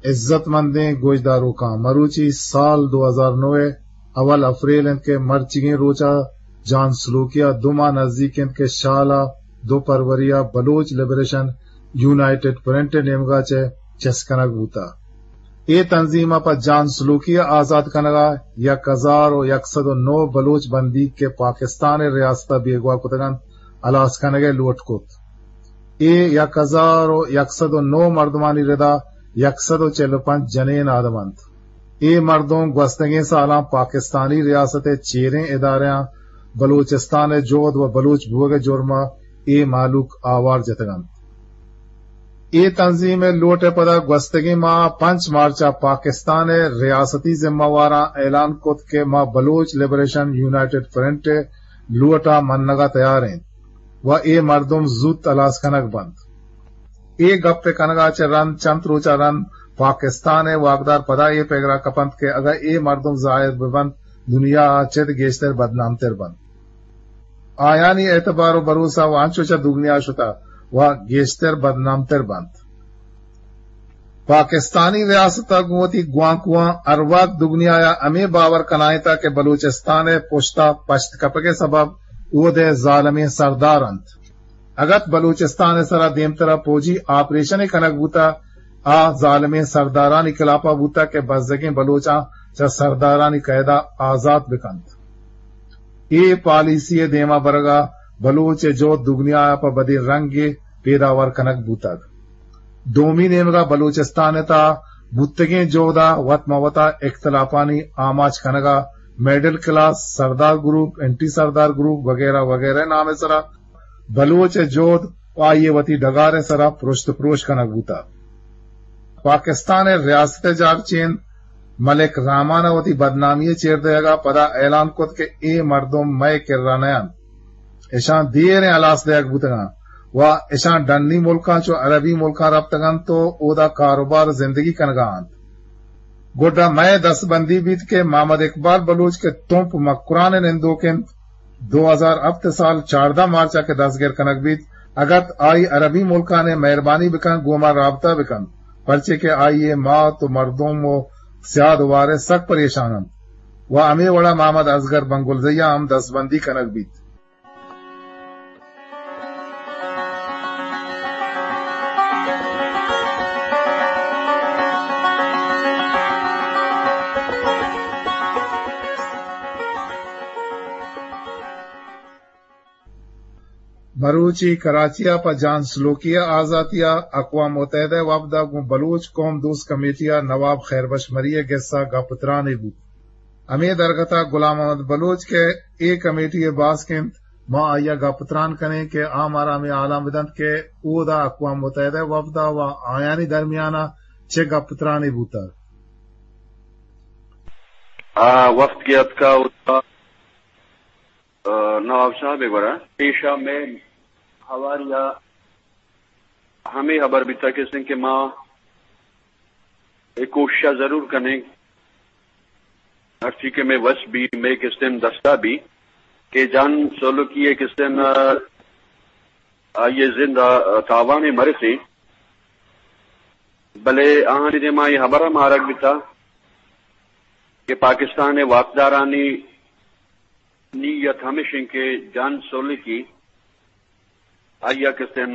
عزت مندیں گوشداروکاں، مروچی سال دو ہزار نو ءِ اول اپریل انت کہ مرچیگیں روچ ءَ جان سلوکی ءَ دو ماہ نزیک انت کہ شال ءَ دو پروری ءَ بلوچ لبریشن یونائیٹڈ فرنٹ ءِ نیمگ ءَ چہ چست کنگ بوتگ۔ اے تنظیم ءَ پہ جان سلوکی ءِ آزات کنگ ءَ یک ہزار و یک سد و نو بلوچ بندیگ کہ پاکستان ءِ ریاست ءَ بیگواہ کتگ انت، ہلاس کنگ ءِ لوٹ کت۔ اے یک ہزار و یک سد و نو مردمانی ردا یک سد و چل و پنچ جنین آدم انت۔ اے مردم گوستگیں سالاں پاکستانی ریاست ءِ چیریں ادارہاں بلوچستان ءِ جہد و بلوچ بوگ ءِ جرم ءَ اے مہلوک آوار جتگ انت۔ اے تنظیم ءِ لوٹ ءِ پدا گوستگیں ماہ ءَ پنچ مارچ ءَ پاکستان ءِ ریاستی ذمہ واراں اعلان کت کہ ما بلوچ لبریشن یونائیٹڈ فرنٹ ءِ لوٹ ءَ منگ ءَ تیار ایں و اے مردم زوت ہلاس کنگ بنت۔ اے گپ ءِ کنگ ءَ چہ رند چنت روچ ءَ رند پاکستان ءِ واکدار پدا اے پگر ءَ کپنت کہ اگاں اے مردم ظاہر بہ بنت، دنیا ءَ چد گیشتر بدنامتر بنت۔ آیانی اعتبار و بھروسہ و انچو چہ دگنیا شتہ و گیشتر بدنامتر بنت۔ پاکستانی ریاست ءَ گوں وتی گوانکواں ہر وقت دگنیا ءَ ہمے باور کنائینتہ کہ بلوچستان ءِ پشت ءَ پشت کپگ ءِ سبب اود ءِ ظالمیں سردار انت۔ اگت بلوچستان ءِ سرا دیمترا پوجی آپریشنے کنگ بوتہ، آ ظالمیں سردارانی خلافا بوتہ کہ بزگیں بلوچاں چہ سردارانی قیدا آزات بکنت۔ اے پالیسی ءِ دیما برگا بلوچ ءِ جہد دگنیا ءَ پہ بدیں رنگے پیداور کنگ بوتگ۔ دومی نیمگا بلوچستان ءِ تہا بوتگیں جہدا وت مہ وتا اختلافانی آماچ کنگا مڈل کلاس، سردار گروپ، اینٹی سردار گروپ وغیرہ وغیرہ نام ءِ سرا بلوچ ءِ جہد و آئی ءِ وتی ڈگار ءِ سرا پرشت پروش کنگ بوتگ۔ پاکستان ءِ ریاست ءِ جارچین ملک رحمان ءَ وتی بدنامی ءِ چیر دئیگ ءَ پدا اعلان کت کہ اے مردم مئے کرا نہ انت، اشاں دیریں ہلاس دئیگ بوتگ انت و اشاں ڈنی ملکاں چو عربی ملکاں رپتگ انت و اودا کاروبار و زندگی کنگ ءَ انت۔ گڈا مئے دستبندی بیت کہ محمد اقبال بلوچ کہ تمپ مکران ءِ نندوک انت، دو ہزار ہپت ءِ سال چاردہ مارچ ءَ کہ دستگر کنگ بیت، اگت آئی عربی ملکان ءَ مہربانی بکن گوں ما رابطہ بکنت، پرچے کہ آئی ءِ مات و مردم و سیاد و وارث سک پریشان انت و ہمے وڑا محمد اصغر بنگلزئی ءَ ہم دستبندی کنگ بیت۔ مروچی کراچی ءَ پہ جان سلوکی ءِ آزاتی ءَ اقوام متحدہ ءِ وفد ءَ گوں بلوچ قوم دوست کمیٹی ءَ نواب خیر بخش مری ءِ گس ءَ گپ ءُ ترانے بوت۔ ہمے درگت ءَ غلام محمد بلوچ کہ اے کمیٹی ءِ باسک انت، ما آئی ءَ گپ ءُ تران کنیں کہ آ مارا ہمے حالاں بدنت کہ اودا اقوام متحدہ ءِ وفد ءَ و آیانی درمیان ءَ چہ گپ ءُ ترانے بوتگ۔ آ وفد کہ اتکا اودا، آ، نواب صاحب ءِ گورا پیشا مئے ہواری ءَ ہمے ہبر بیتگ کہ سن کہ ما اے کوشش ءَ ضرور کنیں، ہرچی کہ مئے وس بی، مئے کستیں دستا بی کہ جان سولکی ءِ کستیں، آ، آئی ءِ زند ءَ تاوانے مرسیں، بلے آہانی دیما اے ہبر ہم آرگ بیتا کہ پاکستان ءِ واکدارانی نیت ہمیش انت کہ جان سولکی آئی ءَ کستیں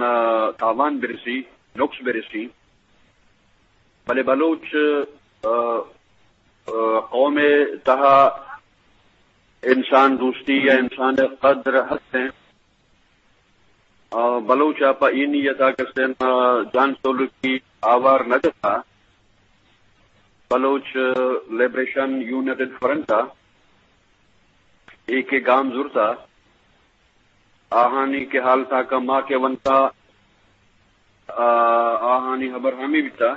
تاوان برسی، نقص برسی، بلے بلوچ، آ، آ، قوم ءِ تہا انسان دوستی یا انسان ءِ قدر ہست انت۔ آ، بلوچ ءَ پہ اے نیت ءَ کستیں، آ، جان سولکی آوار نہ جتا۔ بلوچ لبریشن یونائیٹڈ فرنٹ ءَ اے کہ گام زرتا، آہانی کہ حال تاکا ما کہ ونتا، آ، آہانی ہبر ہمے بیتا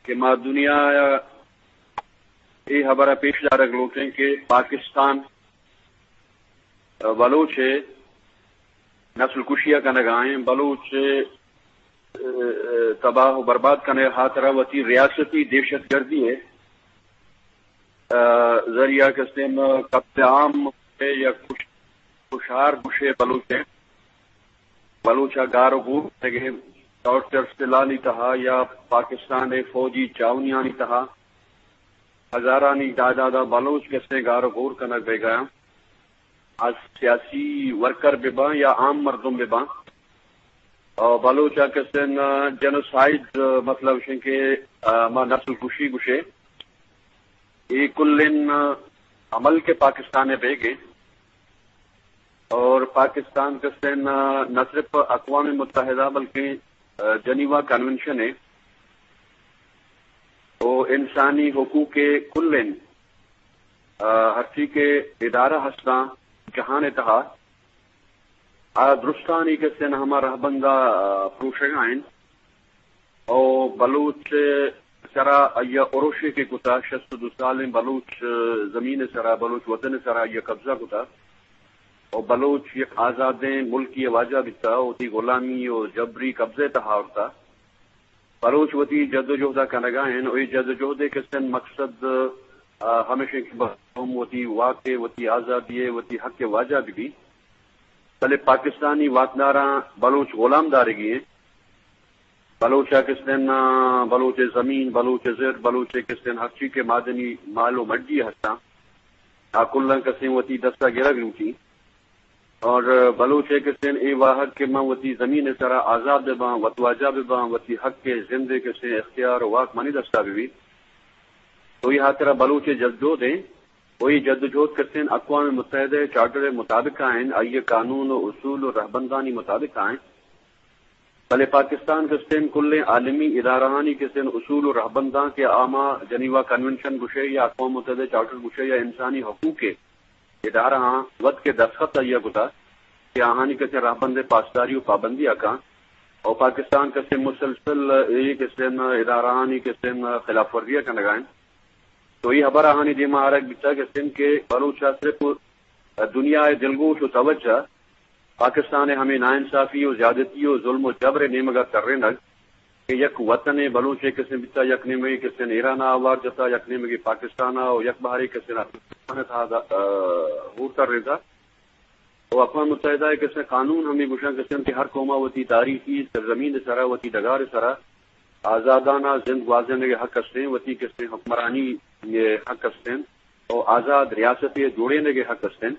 کہ ما دنیا ءَ اے ہبر ءَ پیش دارگ لوٹیں کہ پاکستان بلوچ ءِ نسل کشی ءَ کنگ ءَ ایں، بلوچ ءِ، ءِ، تباہ و برباد کنگ ءِ ہاترا وتی ریاستی دہشت گردی ءِ، ءِ، ذریعہ کستیں قتل عام ءِ یا کش-، کشار گوشے بلوچ ءِ، بلوچ ءَ گار و گور کنگ ءِ ٹارچر سلانی تہا یا پاکستان ءِ فوجی چاونیانی تہا ہزارانی تعداد ءَ بلوچ کسیں گار و گور کنگ بیگا اَں۔ از سیاسی ورکر بہ باں یا عام مردم بہ باں، آ، بلوچ ءَ کسیں جنوسائیڈ، مطلب شن کہ، آ، ما نسل کشی گوشے، اے کلیں عمل کہ پاکستان ءَ بیگے اور پاکستان کسیں نہ صرف اقوام متحدہ بلکہ، آ، جنیوا کنونشن ءَ او انسانی حقوق ءِ کلیں، آ، ہرچی کہ ادارہ ہستاں جہان ءِ تہا، آ درستانی کسیں ہما رہبندا، آ، پروشگا انت۔ او بلوچ سرا آئی ءَ اروشے کہ کتا، شست و دو سالیں بلوچ زمین سرا، بلوچ وطن سرا آئی ءَ قبضہ کتا۔ او بلوچ یک آزادیں ملکی واجہ بیتا، وتی غلامی و جبری قبضے تہا آورتا۔ بلوچ وتی جد و جہدا کنگا ہیں، و اے جد و جہدے کسیں مقصد، آ، ہمیش انت کہ بلوچ قوم وتی واک ءِ، وتی آزادی ءِ، وتی حق ءِ واجہ بہ بی۔ بلے پاکستانی واکداراں بلوچ غلام دارگی ہیں۔ بلوچ ءَ کسیں، آ، بلوچ ءِ زمین، بلوچ ءِ زر، بلوچ ءِ کسیں ہرچی کہ معدنی مال و مڈی ہستاں، آ کلاں کسیں وتی دستا گرگ لوٹی۔ اور بلوچ ءِ کسیں اے واہگ کہ من وتی زمین ءِ سرا آزاد بہ باں، وتواجہ بہ باں، وتی حق ءِ زند ءِ کسیں اختیار و واک منی دستا بہ بیت۔ تو اے ہاترا بلوچ ءِ جدوجہد ایں۔ و اے جدوجہد کسیں اقوام متحدہ ءِ چارٹر ءِ مطابق آئیں، آئی ءِ قانون و اصول و رہبندانی مطابق آئیں۔ بلے پاکستان کسیں کلیں عالمی ادارہانی کسیں اصول و رہبنداں کہ آ ما جنیوا کنونشن گوشے یا اقوام متحدہ چارٹر گوشے یا انسانی حقوق ءِ ادارہاں وت کہ دستخط آئی ءَ کتا کہ آہانی کسیں رہبند ءِ پاسداری و پابندی ءَ کاں۔ و پاکستان کسیں مسلسل اے کسیں ادارہانی کسیں خلاف ورزی ءَ کنگا انت۔ تو اے ہبر آہانی دیما آرگ بیتا کسیں کہ بلوچ ءَ صرف دنیا ءِ دلگوش و توجہ پاکستان ءِ ہمے ناانصافی و زیادتی و ظلم و جبر ءِ نیمگا ترینگ کہ یک وطن ءِ بلوچ ءِ کسیں بیتا، یک نیمگے کسیں ایران ءَ آوار جتا، یک نیمگے پاکستان ءَ و یک بہرے کسیں افغانستان ءِ تہا دا، آ، ہور ترینتا۔ و اقوام متحدہ ءِ کسیں قانون ہمے گوشاں کسیں کہ ہر قوم ءَ وتی تاریخی سرزمین ءِ سرا، وتی ڈگار ءِ سرا آزادانہ زند گوازینگ ءِ حق استیں، وتی کسیں حکمرانی ءِ حق استیں و آزاد ریاستے ءِ جوڑینگ ءِ حق استیں۔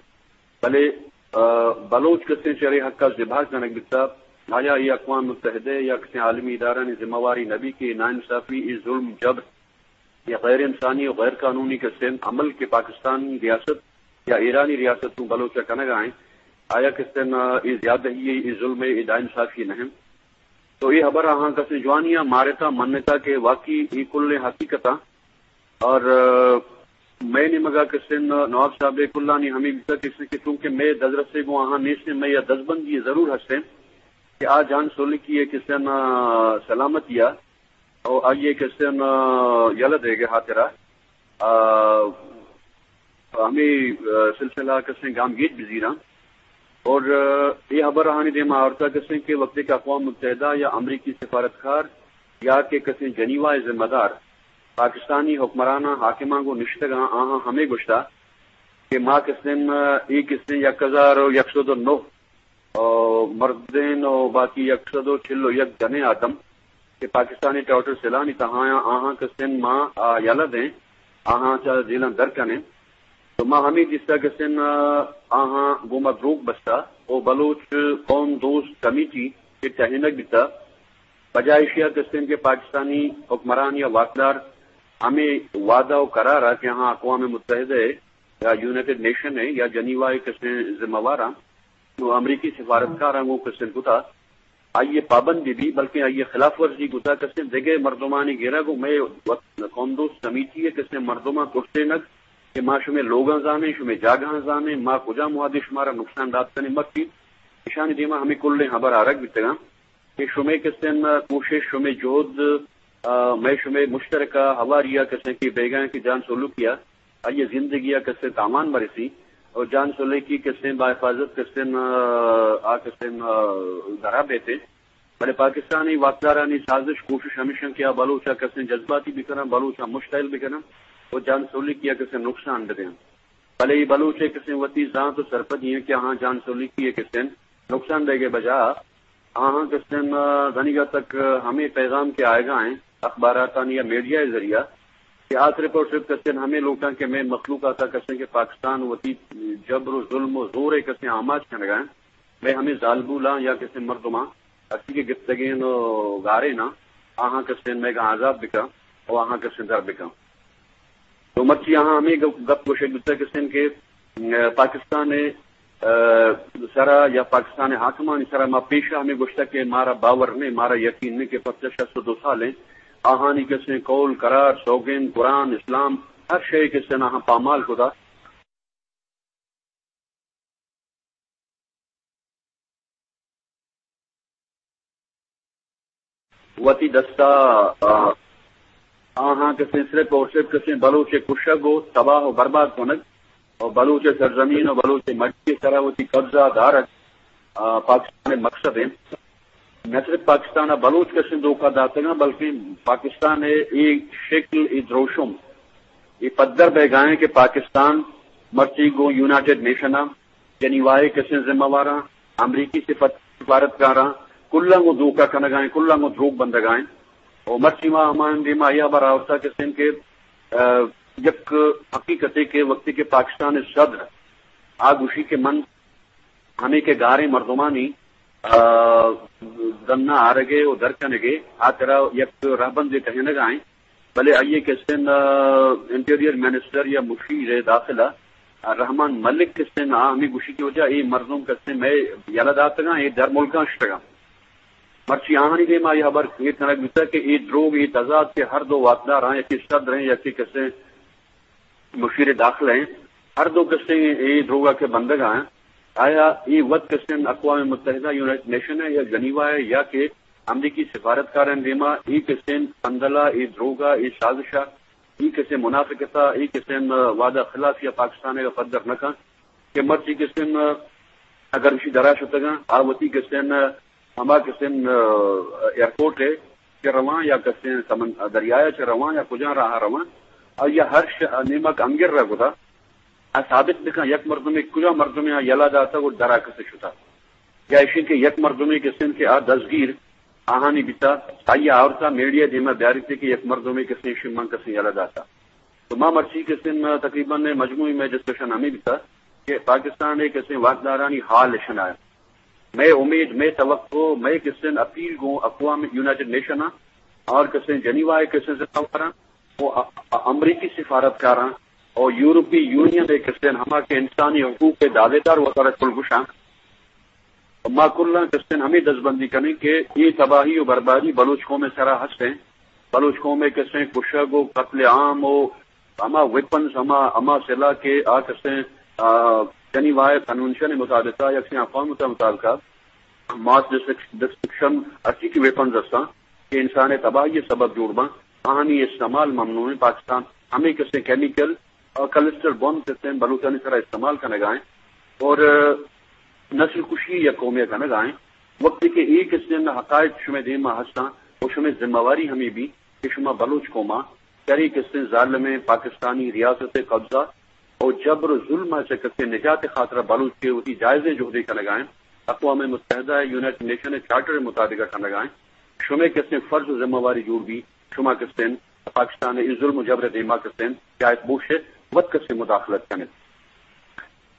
بلے، آ، بلوچ کسیں چرے حق ءَ زبہر کنگ بیتا، آیا اے اقوام متحدہ یا کسیں عالمی ادارہانی ذمہ واری نہ بی کہ اے ناانصافی، اے ظلم جبر یا غیر انسانی و غیر قانونی کسیں عمل کہ پاکستانی ریاست یا ایرانی ریاست گوں بلوچ ءَ کنگا ایں، آیا کسیں، آ، اے زیادہی ءِ، اے ظلم ءِ، اے ناانصافی نہ انت؟ تو اے ہبر آہاں کسیں جوانی ءَ مارتا، منتا کہ واقعی اے کلیں حقیقتاں اور، آ، مئے نیمگا کسیں نواب صاحب ءِ کلانی ہمے بیتا کسیں کہ چونکہ مئے دزرسے گوں آہاں نیستیں، مئے یا دزبندی ضرور ہستیں کہ آ جان سولکی ءِ کسیں، آ، سلامتی ءَ او آئی ءِ کسیں، آ، یلہ دیگ ءِ ہاترا، آ، ہمے، آ، سلسلہ کسیں گامگیج بزیراں۔ اور، آ، اے ہبر آہانی دیما آورتا کسیں کہ وقتی کہ اقوام متحدہ یا امریکی سفارتکار یا کہ کسیں جنیوا ءِ ذمہ دار پاکستانی حکمراناں، حاکماں گوں نشتگاں، آہاں ہمے گوشتا کہ ما کسیں، آ، اے کسیں یک ہزار و یک سد و نو و مردین و باقی یک سد و چل و یک جنیں آدم کہ پاکستانی ٹاؤٹر سیلانی تہایاں، آہاں کسیں ما آ یلہ دیں، آہاں چہ جیلاں در کنیں۔ تو ما ہمے دیستا کسیں آہاں گوں ما دروگ بستا و بلوچ قوم دوست کمیٹی کہ ٹہینگ بیتا، بجائے ایشیا کسیں کہ پاکستانی حکمران یا واکدار ہمے وعدہ و قرار ءَ کہ آہاں اقوام متحدہ ءِ یا یونائیٹڈ نیشن ءِ یا جنیوا ءِ کسیں ذمہ واراں و امریکی سفارتکاراں گوں کسیں کتا، آئی ءِ پابندی بی، بلکیں آئی ءِ خلاف ورزی کتا، کسیں دگہ مردمانی گرگ و مئے وطن قوم دوست کمیٹی ءِ کسیں مردماں ترسینگ کہ ما شمئے لوگاں زانیں، شمئے جاگہاں زانیں، ما کجام وہدے شمارا نقصان دات کنیں، مکیت۔ ایشانی دیما ہمے کلیں ہبر آرگ بیتگاں کہ شمئے کسیں کوشش، شمئے جہد، آ، مئے شمئے مشترکہ ہواری ءَ کسیں کہ بیگاں کہ جان سولکی ءَ آئی ءِ زندگی ءَ کسیں تاوان مرسی اور جان سولکی کسیں باحفاظت کسیں، آ، آ کسیں، آ، درا بیتیں۔ بلے پاکستانی واکدارانی سازش، کوشش ہمیش انت کہ آ بلوچ ءَ کسیں جذباتی بکناں، بلوچ ءَ مشتعل بکناں و جان سولکی ءَ کسیں نقصان بدیاں۔ بلے اے بلوچ ءِ کسیں وتی زانت و سرپدی انت کہ آہاں جان سولکی ءِ کسیں نقصان دیگ ءِ بجا ہاں ہاں، کسن، آ، دنیگا تک، آ، ہمیں پیغام کے آئے گا ہیں اخباراتانی یا میڈیا ذریعہ کہ آ صرف اور صرف کسن ہمیں لوٹاں کہ میں مخلوق آتا کسن کہ پاکستان وتی جبر و ظلم و زور کسن آماچ کنگا ہیں۔ میں ہمیں زالبولاں یا کسن مردماں اسی کے گپتگین و گارے نا، آہاں کسن میں گا آزاد بکا و آہاں کسن در بکا۔ تو مرچی آہاں ہمیں گپ، گپ گوشگ بوتگ کسن کہ، م، پاکستان، ء، سرا یا پاکستان حاکمانی سرا ما پیشا ہمیں گوشتگ کہ مارا باور نہیں، مارا یقین نہیں کہ پرچہ شست و دو سال ہیں آہانی کسیں قول، قرار، سوگند، قرآن، اسلام، ہر شے کسیں آہاں پامال کتا۔ وتی دستا، آ، آہاں کسیں صرف اور صرف کسیں بلوچ کشگ و تباہ و برباد کنگ و بلوچ سرزمین و بلوچ مٹی سرا وتی قبضہ دارگ، آ، پاکستان مقصد ہیں۔ نہ صرف پاکستان بلوچ کسیں دھوکہ داتگاں بلکہ پاکستان اے شکل، اے دروشم، اے پدر بہ گائیں کہ پاکستان مرچی گوں یونائیٹڈ نیشن جنیوا ء کسیں ذمہ واراں، امریکی سفت-، سفارتکاراں، کلاں گوں دھوکہ کنگائیں، کلاں گوں دروگ بندگائیں۔ و مرچی ما ہمان دیما یہ ہبر آورتا کسیں کہ، آ، یک حقیقتے کہ وقتی کہ پاکستان صدر آ گوشی کہ من ہمیں کہ گاریں مردمانی، آ، دنا آرگے و درکنگے، آ ترا یک رہبندے ٹہینگائیں۔ بلے آئی ء کسن، آ، انٹیریئر منسٹر یا مشیر داخلہ، آ، رحمان ملک کسن آ ہمیں گوشی کہ وجہ اے مردم کسن مئے یلہ داتگاں، اے در ملکاں شتگاں۔ مرچی آہانی دیما یہ ہبر ایر کنگ بوتگ کہ اے دروگ، اے تضاد کہ ہر دو واکدار ہیں، یکی صدر ہیں، یکی کسن مشیر داخلہ ہیں، ہر دو کسیں اے دروگا کہ بندگا ہیں، آیا اے وت کسیں اقوام متحدہ، یونائیٹڈ نیشن ہے یا جنیوا ہے یا کہ امریکی سفارتکاریں دیما اے کسیں پندلا، اے دروگا، اے سازشا، اے کسیں منافقتا، اے کسیں وعدہ خلافیا پاکستان ء پدر نہ کن کہ مرچی کسیں اگر اشی درا شتگاں، آ وتی کسیں ہما کسیں، آ، ایئرپورٹ ء چہ رواں یا کسیں سمن-، دریائے چہ رواں یا کجا راہ رواں، آ یا ہر ش-، نیمک انگر را گدا، آ ثابت بکن یک مردمے کجا مردمے آ یلا داتا و درا کسے شتا۔ یا اشی کہ یک مردمے کسیں کہ آ دزگیر آہانی بیتا، آئی آورتا میڈیا دیما بیاریتے کہ یک مردمے کسیں شی من کسیں یلا داتا۔ تو ما مرچی کسیں تقریباً مجموعی میں ڈسکشن ہمیں بیتا کہ پاکستان ء کسیں واکدارانی حال اشنائے۔ مئے امید، مئے توقع، مئے کسن اپیل گوں اقوام یونائیٹڈ نیشن آں اور کسن جنیوا ء کسن ذمہ واراں و ا-، ا-، امریکی سفارتکاراں اور یورپی یونین ء کسن ہما کہ انسانی حقوق ء دعویدار وتارا کل گوشاں۔ ما کلاں کسن ہمیں دزبندی کنیں کہ اے تباہی و بربادی بلوچ قوم ء سرا ہستیں۔ بلوچ قوم ء کسیں کشگ و قتل عام و ہما ویپنز، ہما، ہما سلاح کہ آ کسیں، آ، جنیوا ء کنونشن ء مطابق ء، یکسیں اقوام متحدہ مطابق ء، ماس ڈسٹرکش-، ڈسٹرکشن ہرچی کہ ویپنز ہستاں کہ انسان ء تباہی ء سبب جوڑ باں، آہانی استعمال ممنوع ہے۔ پاکستان ہمیں کسیں کیمیکل اور کلسٹر بم کسیں بلوچانی سرا استعمال کنگا ہیں اور، آ، نسل کشی یا قومیہ کنگا ہیں۔ وقتی کہ اے کسیں حقائق شمے دیما ہستاں و شمے ذمہ واری ہمیں بھی کہ شما بلوچ قوما چرے کسیں ظالمیں پاکستانی ریاست قبضہ و جبر و ظلم ء چہ کسیں نجات خاطرہ بلوچ کے وتی جائزیں جہدے کنگائیں، اقوام متحدہ ء یونائیٹڈ نیشن ء چارٹر ء مطابق کنگائیں، شمے کسیں فرض و ذمہ واری جوڑ بی، شما کسیں پاکستان ء ظلم و جبر ء دیما کسیں جائز بوش ء وت کسیں مداخلت کنت۔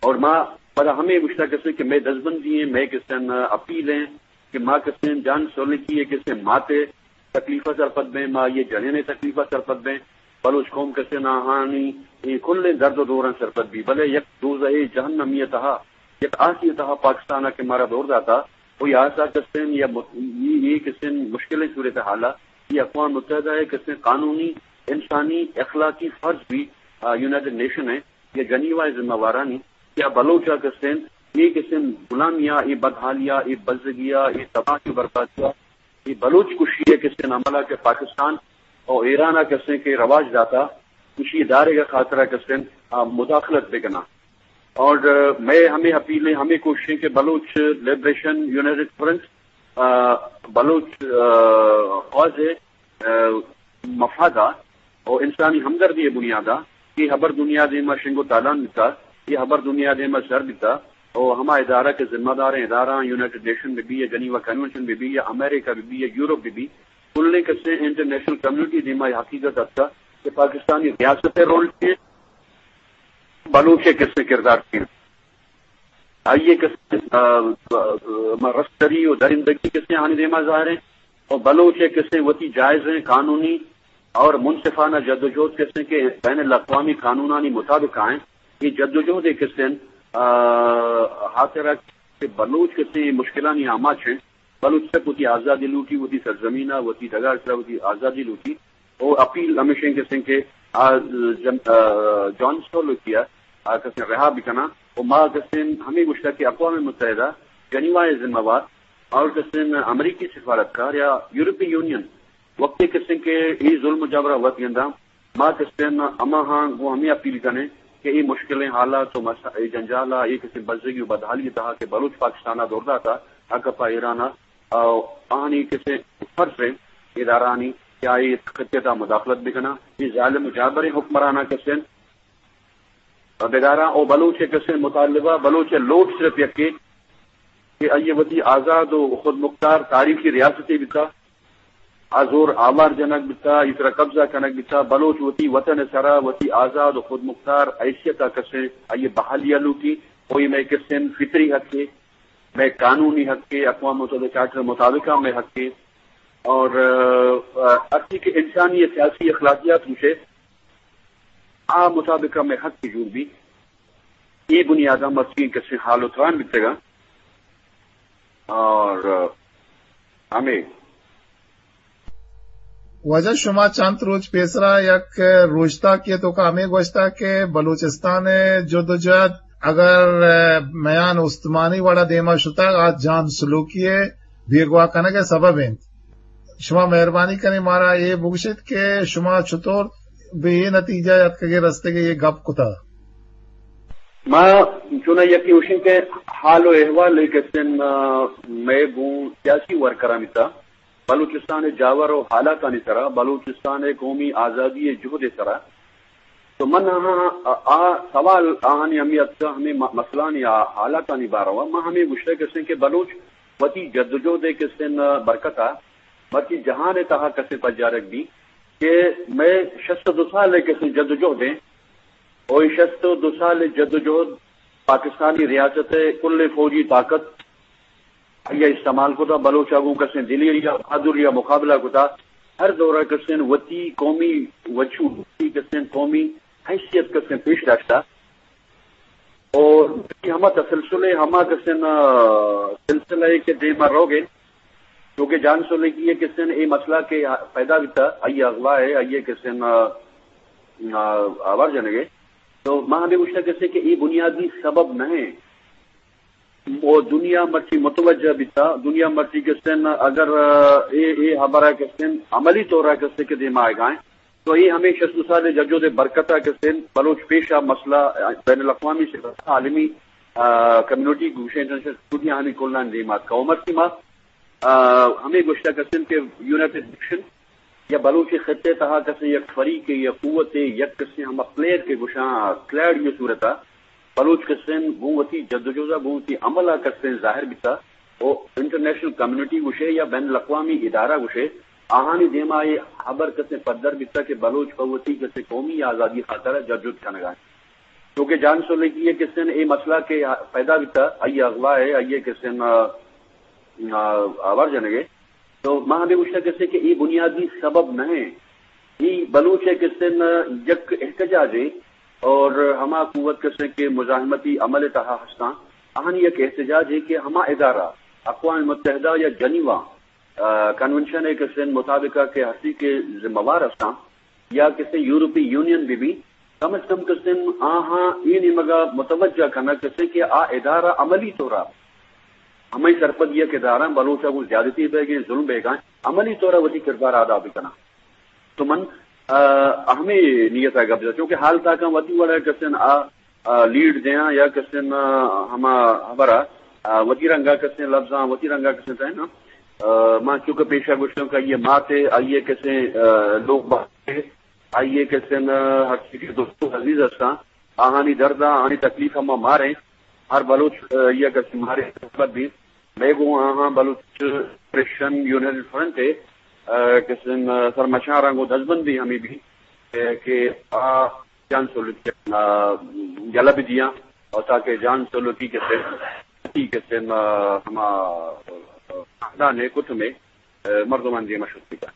اور ما پدا ہمیں گوشتا کسیں کہ مئے دزبندی ہیں، مئے کسیں اپیل ہیں کہ ما کسیں جان سولنکی ء کسیں ماتے تکلیف ء سرپد بیں، ما یہ جنین تکلیف ء سرپد بیں، بلوچ قوم کسیں آہانی اے کلیں درد و دوراں سرپد بی، بلے یک دوزہ جہنمی ء تہا، یک آسی ء تہا پاکستان ء کہ مارا دور داتا، و یہ آسا کسیں یا مت-، یہ، یہ کسیں مشکلیں صورتحال ء، یہ اقوام متحدہ ء کسیں قانونی، انسانی، اخلاقی فرض بی، آ، یونائیٹڈ نیشن ء یا جنیوا ء ذمہ وارانی کہ آ بلوچ ء کسیں، اے کسیں غلامی ء، اے بدحالی ء، اے بزگی ء، اے تباہی و بربادی ء، اے بلوچ کشی ء کسیں عمل ء کہ پاکستان اور ایران ء کسیں کہ رواج داتا، کشی دارگ ء خاطر ء کسیں، آ، مداخلت بکناں۔ اور، آ، مئے ہمیں اپیل ہیں، ہمیں کوششیں کہ بلوچ لبریشن یونائیٹڈ فرنٹ، آ، بلوچ، آ، قوض ء، آ، مفادہ و انسانی ہمدردی ء بنیادا اے ہبر دنیا دیما شنگ و تالان بیتا، اے ہبر دنیا دیما سر بیتا، او ہما ادارہ کہ ذمہ داریں ادارہ، یونائیٹڈ نیشن بہ بی یا جنیوا کنونشن بہ بی یا امریکہ بہ بی یا یورپ بہ بی، کلیں کسیں انٹرنیشنل کمیونٹی دیما یہ حقیقت اتکا کہ پاکستانی ریاست رول چی، بلوچ کسیں کردار چی۔ آئیے کسیں، آ، آ، آ، رستری و درندگی کسیں آنی دیما ظاہر ہیں۔ اور بلوچ کسیں وتی جائزیں قانونی اور منصفانہ جدوجہد کسیں کہ بین الاقوامی قانونانی مطابق آئیں۔ یہ جدوجہد کسیں، آ، خاطر کہ بلوچ کسیں مشکلانی آماچ ہیں۔ بلوچ تک وتی آزادی لوٹی، وتی سرزمین ء، وتی ڈگار سرا وتی آزادی لوٹی۔ او اپیل ہمیش انت کسیں کہ آ جن-، آ، جان سولوکی ء آ کسیں رہا بکناں۔ او ما کسیں ہمیں گوشتا کہ اقوام متحدہ، جنیوا ء ذمہ وار اور کسیں امریکی سفارتکار یا یورپی یونین وقتی کسیں کہ ای ظلم و جبر ء وت گنداں، ما کسیں ہما ہاں گوں ہمیں اپیل کنیں کہ ای مشکلیں حالات و مس-، ای جنجال ء، ای کسیں بزگی و بدحالی تہا کہ بلوچ پاکستان ء دور داتا، آ کپا ایران ء، آ، آہانی کسیں فرض ہیں ادارانی کہ آئی خطے تہا مداخلت بکناں۔ ای ظالم و جابریں حکمراناں کسیں بداراں او بلوچ ء کسیں مطالبہ، بلوچ ء لوٹ صرف یکے کہ آئی ء وتی آزاد و خود مختار تاریخی ریاستے بیتا، آ زور آوار جنگ بیتا، ای سرا قبضہ کنگ بیتا، بلوچ وتی وطن ء سرا وتی آزاد و خود مختار حیثیت ء کسیں آئی ء بحالی ء لوٹی، او اے مئے کسیں فطری حق ہے، مئے قانونی حق ہے، اقوام متحدہ چارٹر مطابق ہم مئے حق ہے، اور، آ، آ، ہرچی کہ انسانی سیاسی اخلاقیات گوشے، آ مطابق ہمیں حق کی جوڑ بھی، اے بنیاداں مرچی کسیں حال و تران بیتگاں۔ اور ہمیں واجہ شما چند روچ پیسرا یک روشتاکے توکا ہمیں گوشتا کہ بلوچستان جدوجہد اگر میان استمانی وڑا دیما شتگ، آ جان سلوکی بیگواہ کنگ سبب انت۔ شما مہربانی کنیں مارا اے بگوشیت کہ شما چطور بہ اے نتیجہ اتکگے رستگے اے گپ کتا؟ ما چونا یکی اوشن کہ حال و احوال کسن، آ، مئے گوں سیاسی ورکرانی تا بلوچستان جاور و حالاتانی سرا، بلوچستان قومی آزادی جہد سرا تو من آہاں، آ، آ سوال آہانی ہمیں اتکا ہمیں م-، مسئلانی آ حالاتانی باروا۔ من ہمیں گوشتہ کسیں کہ بلوچ وتی جدوجہد کسیں برکتا مرچی جہان تہا کسیں پجارگ بی کہ مئے شست و دو سال کسیں جدوجہد ہیں۔ او اے شست و دو سال جدوجہد پاکستانی ریاست کل فوجی طاقت آئی ء استعمال کتا، بلوچ ء گوں کسیں دلیر یا بہادر یا مقابلہ کتا، ہر دور ء کسیں وتی قومی وجود، وتی کسیں قومی حیثیت کسیں پیش داشتا۔ اور ہما تسلسل ء ہما کسیں، آ، سلسلہ ء کہ دیما روگ ء، چونکہ جان سولنگی ء کسیں اے مسئلہ کہ پیدا بیتا، آئی اغوا ہے، آئی کسیں، آ، آ، آوار جنگ ء۔ تو ما ہمیں گوشتا کسیں کہ اے بنیادی سبب نہ ہے۔ و دنیا مرچی متوجہ بیتا، دنیا مرچی گستن اگر، آ، اے، اے حبرہ گستن عملی طورا گستے کہ دیما آئیگائیں، تو اے ہمیں شست سال جدوجہد برکتا گستن بلوچ پیشا مسئلہ، آ، بین الاقوامی سطح، عالمی، آ، کمیونٹی گوشے انٹرنیشنل کمیونٹی آنی کلان دیما آتکا۔ و مرچی ما، آ، ہمیں گوشتا گستن کہ یونائیٹڈ نیشن یا بلوچ خطے تہا کسیں یک فریقے یا قوتے، یک کسیں ہما پلیئر کہ گوشاں کلیڈ یہ صورتا بلوچ کسیں گوں وتی جدوجہدا گوں وتی عملا کسیں ظاہر بیتا و انٹرنیشنل کمیونٹی گوشے یا بین الاقوامی ادارہ گوشے، آہانی دیما اے حبر کسیں پدر بیتا کہ بلوچ پہ وتی کسیں قومی آزادی خاطرا جدوجہد کنگا۔ چونکہ جان سولنگی کسیں اے مسئلہ کہ پیدا بیتا، آئی اغوا ہے، آئی کسیں، آ، آ، آوار جنگے۔ تو ما ہمیں گوشتا کسے کہ اے بنیادی سبب نہ ہیں۔ اے بلوچ ء کسے نہ یک احتجاج ہے اور ہما قوت کسے کہ مزاحمتی عمل تہا ہستاں، آہانی یک احتجاج ہے کہ ہما ادارہ اقوام متحدہ یا جنیوا، آ، کنونشن ء کسے مطابق کہ ہستی کہ ذمہ وار ہستاں، یا کسے یورپی یونین بہ بی، کم از کم کسے آہاں اے نیمگا متوجہ کنگ کسے کہ آ ادارہ عملی طورا ہمے سرپدی ء کہ داراں بلوچ ء گوں زیادتی بیگیں، ظلم بیگاں، عملی طور ء وتی کردار ء ادا بکناں۔ تو من، آ، ہمے نیت ء گپ جناں، چونکہ حال تاکاں وتی وڑ ء کسن آ، آ، لیڈ دیاں یا کسن، آ، ہما حبر ء، آ، وتی رنگ ء کسن لفظاں، وتی رنگ ء کسن تہنا، آ، من چونکہ پیشہ گوشتوں کہ آئی ء مات ء، آئی ء کسن، آ، لوگ بات ء، آئی ء کسن، آ، ہرچی کہ دوست و عزیز ہستاں، آہانی درد ء، آہانی تکلیف ء ما ماریں۔ ہر بلوچ، آ، یک اسے مارے خبر بیت۔ مئے گوں آہاں بلوچ کرسچن یونین فرنٹ ء، آ، قسم، آ، سرمچاراں گوں دزبندی ہمے بیت، آ، کہ آ جان سولکی، آ، یلہ بدیاں اور تاکہ جان سولکی قسم، قسم، آ، ہما، آ، خاندان ء کٹم ء، آ، مردمان دیما شت بکن۔